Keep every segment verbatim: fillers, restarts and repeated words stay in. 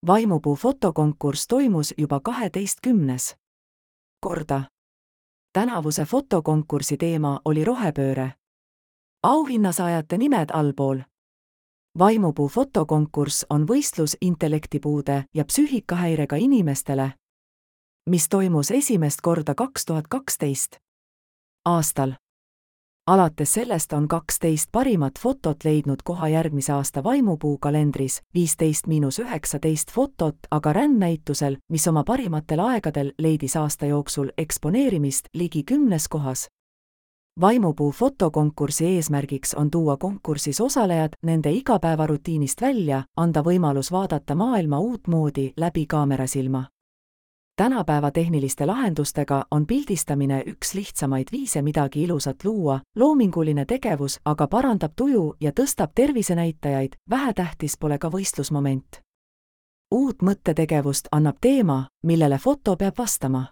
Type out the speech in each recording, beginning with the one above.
Vaimupuu fotokonkurss toimus juba kaheteistkümnes korda. Tänavuse fotokonkursi teema oli rohepööre. Auhinnasaajate nimed allpool. Vaimupuu fotokonkurss on võistlus intellektipuude ja psüühikahäirega inimestele, mis toimus esimest korda kaks tuhat kaksteist aastal. Alates sellest on kaksteist parimat fotot leidnud koha järgmise aasta Vaimupuu kalendris, viisteist miinus üheksateist fotot aga rändnäitusel, mis oma parimatel aegadel leidis aasta jooksul eksponeerimist ligi kümnes kohas. Vaimupuu fotokonkursi eesmärgiks on tuua konkursis osalejad nende igapäevarutiinist välja, anda võimalus vaadata maailma uutmoodi läbi kaamerasilma. Tänapäeva tehniliste lahendustega on pildistamine üks lihtsamaid viise midagi ilusat luua, loominguline tegevus aga parandab tuju ja tõstab tervisenäitajaid, vähetähtis pole ka võistlusmoment. Uut mõttetegevust annab teema, millele foto peab vastama.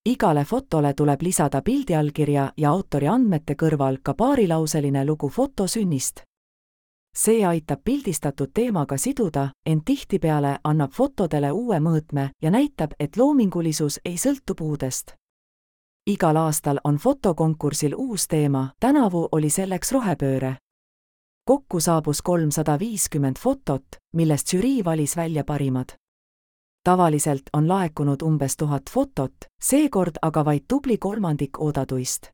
Igale fotole tuleb lisada pildiallkirja ja autori andmete kõrval ka paarilauseline lugu foto sünnist. See aitab pildistatud teemaga siduda, ent tihtipeale annab fotodele uue mõõtme ja näitab, et loomingulisus ei sõltu puudest. Igal aastal on fotokonkursil uus teema, tänavu oli selleks rohepööre. Kokku saabus kolmsada viiskümmend fotot, millest žürii valis välja parimad. Tavaliselt on laekunud umbes tuhat fotot, seekord aga vaid tubli kolmandik oodatuist.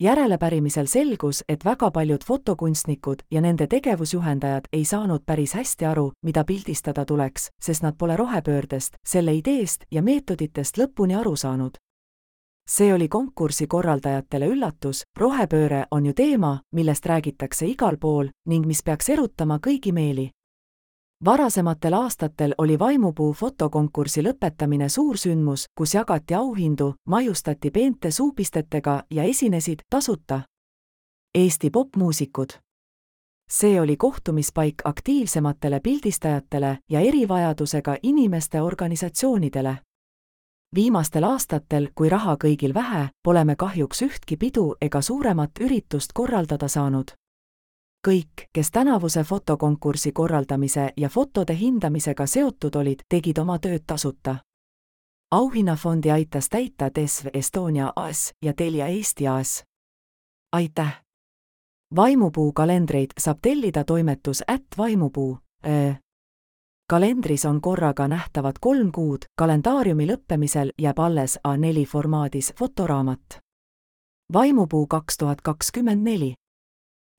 Järelepärimisel selgus, et väga paljud fotokunstnikud ja nende tegevusjuhendajad ei saanud päris hästi aru, mida pildistada tuleks, sest nad pole rohepöördest, selle ideest ja meetoditest lõpuni aru saanud. See oli konkursi korraldajatele üllatus, rohepööre on ju teema, millest räägitakse igal pool ning mis peaks erutama kõigi meeli. Varasematel aastatel oli Vaimupuu fotokonkursi lõpetamine suur sündmus, kus jagati auhindu, maiustati peente suupistetega ja esinesid tasuta Eesti popmuusikud. See oli kohtumispaik aktiivsematele pildistajatele ja erivajadusega inimeste organisatsioonidele. Viimastel aastatel, kui raha kõigil vähe, pole me kahjuks ühtki pidu ega suuremat üritust korraldada saanud. Kõik, kes tänavuse fotokonkursi korraldamise ja fotode hindamisega seotud olid, tegid oma tööd tasuta. Auhinnafondi aitas täita T E S V Estonia A S ja Telia Eesti A S. Aitäh! Vaimupuu kalendreid saab tellida toimetus at vaimupuu. Kalendris on korraga nähtavad kolm kuud, kalendaariumi lõppemisel jääb alles A neli formaadis fotoraamat. Vaimupuu kaks tuhat kakskümmend neli.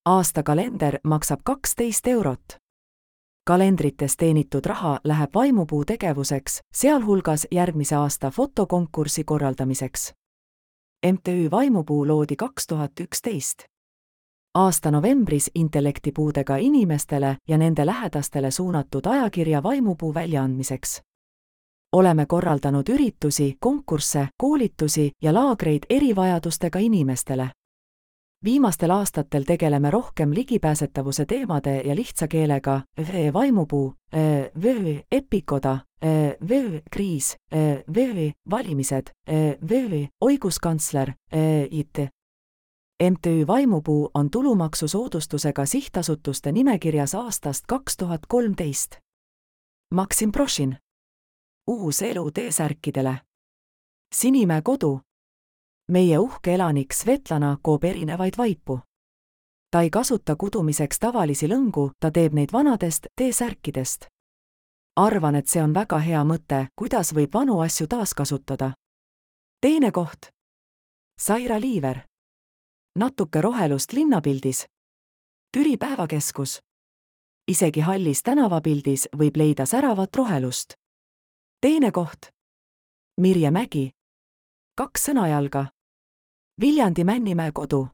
Aastakalender maksab kaksteist eurot. Kalendrites teenitud raha läheb Vaimupuu tegevuseks, sealhulgas järgmise aasta fotokonkursi korraldamiseks. M T Ü Vaimupuu loodi kaks tuhat üksteist. Aasta novembris intellektipuudega inimestele ja nende lähedastele suunatud ajakirja Vaimupuu väljaandmiseks. Oleme korraldanud üritusi, konkursse, koolitusi ja laagreid erivajadustega inimestele. Viimastel aastatel tegeleme rohkem ligipääsetavuse teemade ja lihtsa keelega, V Vaimupuu, V Epikoda, V Kriis, V Valimised, V Õiguskantsler, I T. M T Ü Vaimupuu on tulumaksusoodustusega sihtasutuste nimekirjas aastast kaks tuhat kolmteist. Maksim Prošin. Uus elu T-särkidele. Sinimäe kodu. Meie uhke elanik Svetlana koob erinevaid vaipu. Ta ei kasuta kudumiseks tavalisi lõngu, ta teeb neid vanadest T-särkidest. Arvan, et see on väga hea mõte, kuidas võib vanu asju taaskasutada. Teine koht. Saira Liiver. Natuke rohelust linnapildis. Türi päevakeskus. Isegi hallis tänavapildis võib leida säravat rohelust. Teine koht. Mirje Mägi. Kaks sõnajalga. Viljandi Männimäe kodu.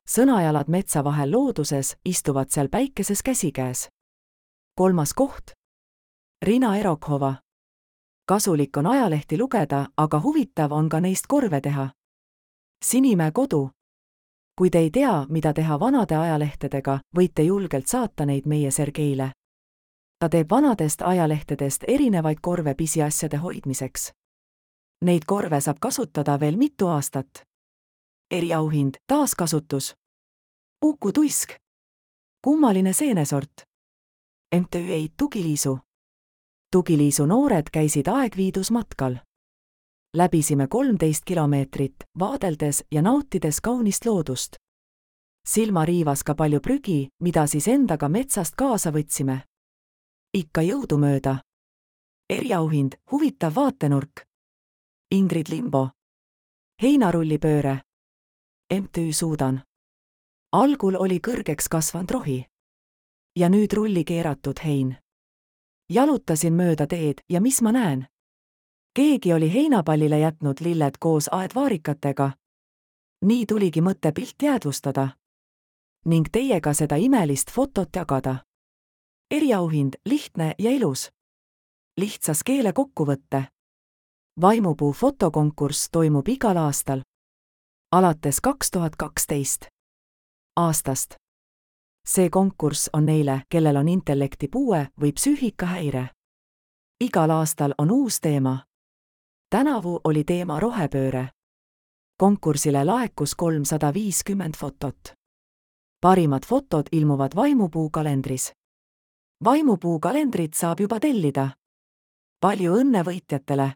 Sõnajalad metsa vahel looduses, istuvad seal päikeses käsikäes. Kolmas koht. Rina Erokhova. Kasulik on ajalehti lugeda, aga huvitav on ka neist korve teha. Sinimäe kodu. Kui te ei tea, mida teha vanade ajalehtedega, võite julgelt saata neid meie Sergeile. Ta teeb vanadest ajalehtedest erinevaid korve pisiasjade hoidmiseks. Neid korve saab kasutada veel mitu aastat. Eriauhind, taaskasutus. Uku tuisk. Kummaline seenesort. M T Ü Eit Tugiliisu. Tugiliisu noored käisid Aegviidus matkal. Läbisime kolmteist kilomeetrit, vaadeldes ja nautides kaunist loodust. Silma riivas ka palju prügi, mida siis endaga metsast kaasa võtsime. Ikka jõudumööda. Eriauhind, huvitav vaatenurk. Ingrid Limbo. Heinarullipööre. M T Ü Suudan. Algul oli kõrgeks kasvanud rohi. Ja nüüd rulli keeratud hein. Jalutasin mööda teed ja mis ma näen? Keegi oli heinapallile jätnud lilled koos aedvaarikatega. Nii tuligi mõte pilt jäädvustada. Ning teiega seda imelist fotot jagada. Eriauhind, lihtne ja ilus. Lihtsas keele kokkuvõtte. Vaimupuu fotokonkurss toimub igal aastal. Alates kaks tuhat kaksteist. Aastast. See konkurss on neile, kellel on intellektipuue või psüühikahäire. Igal aastal on uus teema. Tänavu oli teema rohepööre. Konkursile laekus kolmsada viiskümmend fotot. Parimad fotod ilmuvad Vaimupuu kalendris. Vaimupuu kalendrit saab juba tellida. Palju õnne võitjatele!